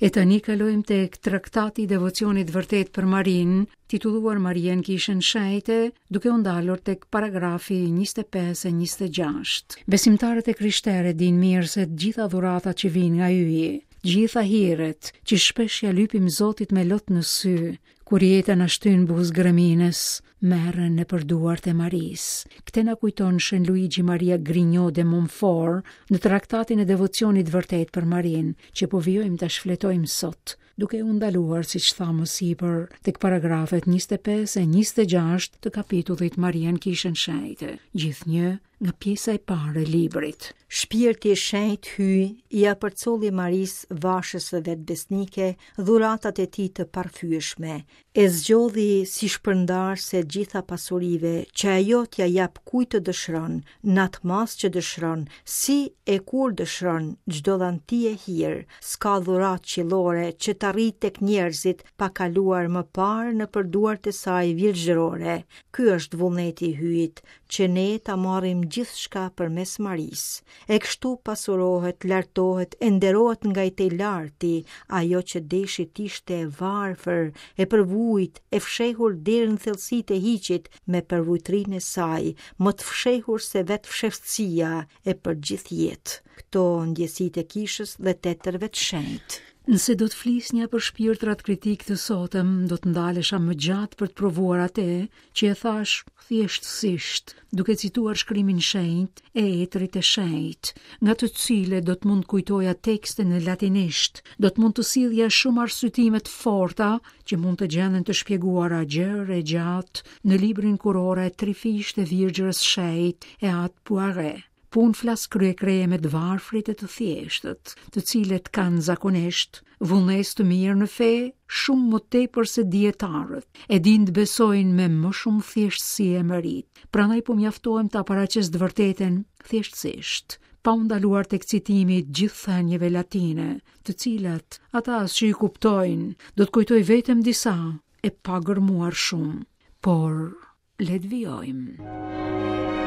E tani kalojmë tek traktati i devocionit të vërtetë për Marinë, titulluar Maria në Kishën Shenjte, duke u ndalur tek paragrafi 25 e 26. Besimtarët e krishterë e dinë mirë se të gjitha dhuratat që vijnë nga Hyji, të gjitha hiret që shpesh ia lypim Zotit me lot në sy, Kur jeta na shtyn buzë greminës, merren nëpër duart e Marisë. Këtë na kujton Shën Luigi Maria Grignion de Montfort në traktatin e devocionit të vërtetë për Marinë, që po vijojmë ta shfletojmë sot, duke u ndaluar, siç thamë më sipër, tek paragrafet 25 e 26 të kapitullit Maria në Kishën Shenjte, gjithnjë nga pjesa e parë e librit. Shpirti i Shenjtë Hyj ia përcolli Marisë vashës së vet besnike dhuratat e tij të parrëfyeshme, e zgjodhi si shpërndarëse të gjitha pasurive që ajo t'ia japë kujt të dëshiron, në atë masë që dëshiron, si e kur dëshiron, çdo dhanti e hir, s'ka dhuratë qiellore që të arrijë tek njerëzit pa kaluar më parë nëpër duart e saj virgjërore. Ky është vullneti i Hyjit, që ne ta marrim gjithçka përmes Marisë. E kështu pasurohet, lartohet e nderohet nga i Tejlarti, ajo që deshi t'ishte e varfër, e përvujt, e fshehur deri në thellësitë e hiçit me përvujtërinë e saj, më të fshehur se vetë fshehtësia e për gjithë jetë. Këto ndjesitë e kishës dhe të etërve të shenjtë. Nëse do të flisnja për shpirtrat kritikë të sotëm, do të ndalesha më gjatë për të provuar atë që e thashë thjeshtësisht, duke cituar shkrimin shenjt e etërit e shenjtë, nga të cilët do të mund të kujtoja tekste në latinisht, do të mund të sillja shumë arsyetime të forta që mund të gjenden të shpjeguara gjerë e gjatë në librin Kurora e trefishtë e Virgjërës Shenjtë e Atë Poiret. Po unë flas krye-krye me të varfrit e të thjeshtët, të cilët kanë zakonisht vullnet të mirë në fe shumë më tepër se dijetarët, e dinë të besojnë me më shumë thjeshtësi e meritë. Prandaj po mjaftohem ta paraqes të vërtetën thjeshtësisht, pa u ndaluar tek citimi i gjithë thënieve latine, të cilat ata as që i kuptojnë, do të kujtoj vetëm disa e pa gërmuar shumë. Por Le të vijojmë.